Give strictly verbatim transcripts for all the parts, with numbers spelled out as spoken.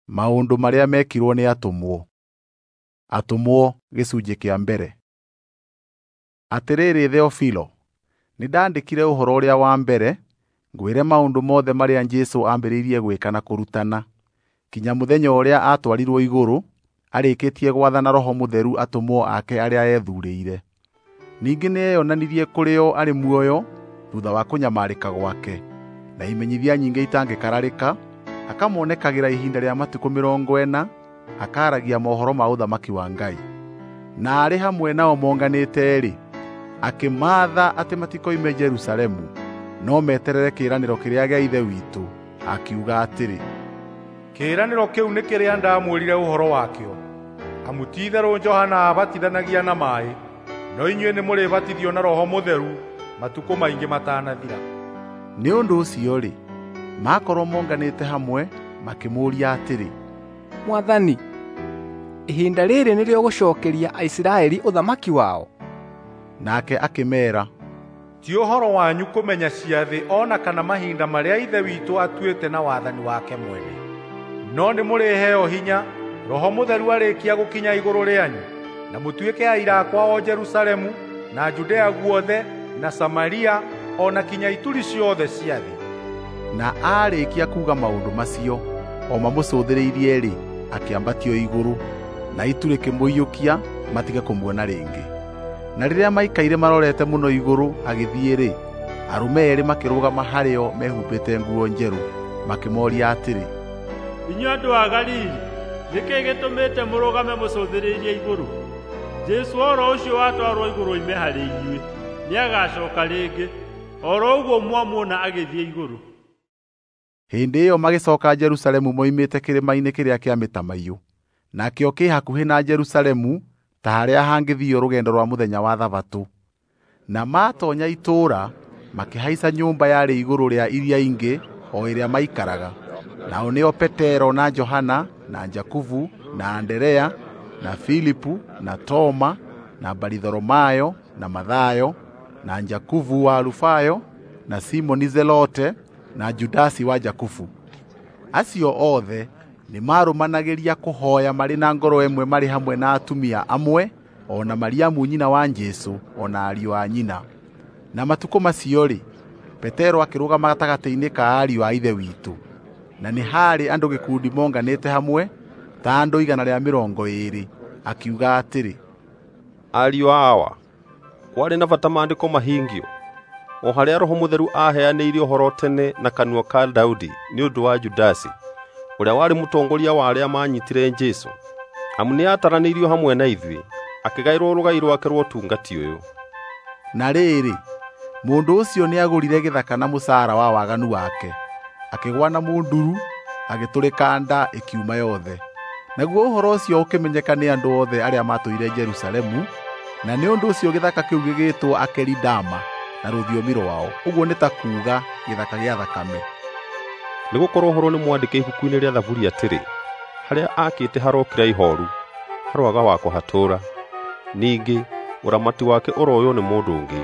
Maũndũ marĩa mekirwo nĩ atũmwo. Atũmwo gĩcunjĩ kĩa mbere. Atĩrĩrĩ Theofilo, nĩndandĩkire ũhoro ũrĩa wa mbere, ngwĩre maũndũ mothe marĩa Jesũ ambĩrĩirie gwĩka na kũrutana, kinya mũthenya ũrĩa aatwarirwo igũrũ, arĩkĩtie gwathana Roho Mũtheru atũmwo ake arĩa eethuurĩire. Ningĩ nĩeyonanirie kũrĩ o arĩ muoyo thuutha wa kũnyamarĩka gwake, na imenyithia nyingĩ itangĩkararĩka, akamonekagĩra ihinda rĩa matukũ mĩrongo ĩna, akaaragia mohoro ma ũthamaki wa Ngai. Na arĩ hamwe nao monganĩte-rĩ, akĩmaatha atĩ matikoime Jerusalemu, no meterere kĩĩranĩro kĩrĩa gĩa Ithe witũ, akiuga atĩrĩ, "Kĩĩranĩro kĩu nĩ kĩrĩa ndamwĩrire ũhoro wakĩo. Amu ti-itherũ Johana aabatithanagia na maaĩ, no inyuĩ nĩmũrĩbatithio na Roho Mũtheru matukũ maingĩ matanathira." Nĩ ũndũ ũcio-rĩ, makorwo monganĩte hamwe, makĩmũũria atĩrĩ, "Mwathani, ihinda rĩrĩ nĩrĩo gũcookeria Aisiraeli ũthamaki wao?" Nake akĩmeera, "Ti ũhoro wanyu kũmenya ciathĩ o na kana mahinda marĩa Ithe witũ atuĩte na wathani wake mwene. No nĩmũrĩheo hinya Roho Mũtheru arĩkia gũkinya igũrũ rĩanyu, na mũtuĩke aira akwa o Jerusalemu na Judea guothe na Samaria o na kinya ituri ciothe cia thĩ." Na aarĩkia kuuga maũndũ macio, o mamũcũthĩrĩirie-rĩ, akĩambatio igũrũ, na itu rĩkĩmũiyũkia matige kũmuona rĩngĩ. Na rĩrĩa maikaire marorete mũno igũrũ agĩthiĩ-rĩ, arũme eerĩ makĩrũgama harĩo mehumbĩte nguo njerũ, makĩmooria atĩrĩ, "Inyuĩ andũ a Galili, nĩ kĩĩ gĩtũmĩte mũrũgame mũcũthĩrĩirie igũrũ? Jesũ oro ũcio watwarwo igũrũ oime harĩ inyuĩ, nĩagacooka rĩngĩ, oro ũguo mwamuona agĩthiĩ igũrũ." Hĩndĩ ĩyo magĩcooka Jerusalemu moimĩte kĩrĩma-inĩ kĩrĩa kĩa Mĩtamaiyũ, nakĩo kĩ hakuhĩ na Jerusalemu ta harĩa hangĩthiio rũgendo rwa mũthenya wa Thabatũ. Na maatoonya itũũra, makĩhaica nyũmba yarĩ igũrũ rĩa iria ingĩ o ĩrĩa maikaraga. Nao nĩo Petero na Johana na Jakubu na Anderea na Filipu na Toma na Baritholomayo na Mathayo na Jakubu wa Alufayo na Simoni Zelote na Judasi wa Jakubu. Acio othe nĩmarũmanagĩria kũhooya marĩ na ngoro ĩmwe marĩ hamwe na atumia amwe o na Mariamu nyina wa Jesũ o na ariũ a nyina. Na matukũ macio-rĩ, Petero akĩrũgama gatagatĩ-inĩ ka ariũ a Ithe witũ, na nĩ haarĩ andũ gĩkundi monganĩte hamwe ta andũ igana rĩa mĩrongo ĩĩrĩ, akiuga atĩrĩ, "Ariũ a Awa, kwarĩ na bata maandĩko mahingio, o harĩa Roho Mũtheru aaheanĩire ũhoro tene na kanua ka Daudi nĩ ũndũ wa Judasi, ũrĩa warĩ mũtongoria wa arĩa maanyitire Jesũ. Amu nĩataranĩirio hamwe na ithuĩ, akĩgaĩrwo rũgai rwake rwa ũtungati ũyũ." Na rĩrĩ, mũndũ ũcio nĩagũrire gĩthaka na mũcaara wa waganu wake, akĩgũa na mũnduru, agĩtũrĩka nda ĩkiuma yothe. Naguo ũhoro ũcio ũkĩmenyeka nĩ andũ othe arĩa maatũire Jerusalemu, na nĩ ũndũ ũcio gĩthaka kĩu gĩgĩtwo Akelidama na rũthiomi rwao, ũguo nĩ ta kuuga gĩthaka gĩa thakame. Nĩgũkorwo ũhoro nĩmwandĩke ibuku-inĩ rĩa Thaburi atĩrĩ, harĩa aakĩte harokira ihooru, haroaga wa kũhatũũra. Ningĩ ũramati wake ũroywo nĩ mũndũ ũngĩ.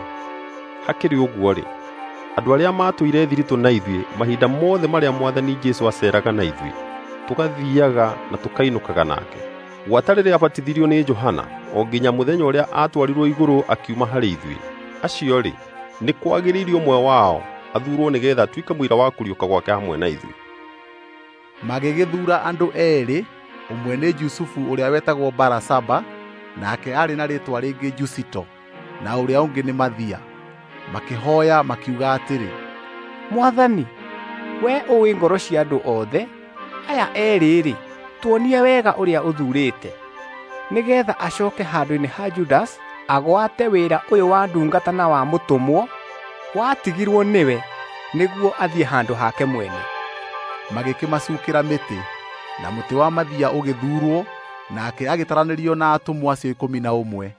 Hakĩrĩ ũguo-rĩ, andũ arĩa maatũire thiritũ na ithuĩ mahinda mothe marĩa Mwathani Jesũ aceeraga na ithuĩ, tũgathiiaga na tũkainũkaga nake, gwata rĩrĩa aabatithirio nĩ Johana o nginya mũthenya ũrĩa aatwarirwo igũrũ akiuma harĩ ithuĩ. Acio-rĩ, nĩ kwagĩrĩire ũmwe wao athuurwo nĩgeetha atuĩke mũira wa kũriũka gwake hamwe na ithuĩ. Magĩgĩthuura andũ eerĩ, ũmwe nĩ Jusufu ũrĩa wetagwo Barasaba, nake aarĩ na rĩĩtwa rĩngĩ Jusito, na ũrĩa ũngĩ nĩ Mathia. Makĩhooya makiuga atĩrĩ, "Mwathani, wee ũũĩ ngoro cia andũ othe, aya eerĩ-rĩ, tuonie wega ũrĩa ũthuurĩte, nĩgeetha acooke handũ-inĩ ha Judasi agwate wĩra ũyũ wa ndungata na wa mũtũmwo watigirwo nĩwe nĩguo athiĩ handũ hake mwene." Magĩkĩmacuukĩra mĩtĩ, na mũtĩ wa Mathia ũgĩthuurwo, nake agĩtaranĩrio na atũmwo acio ikũmi na ũmwe.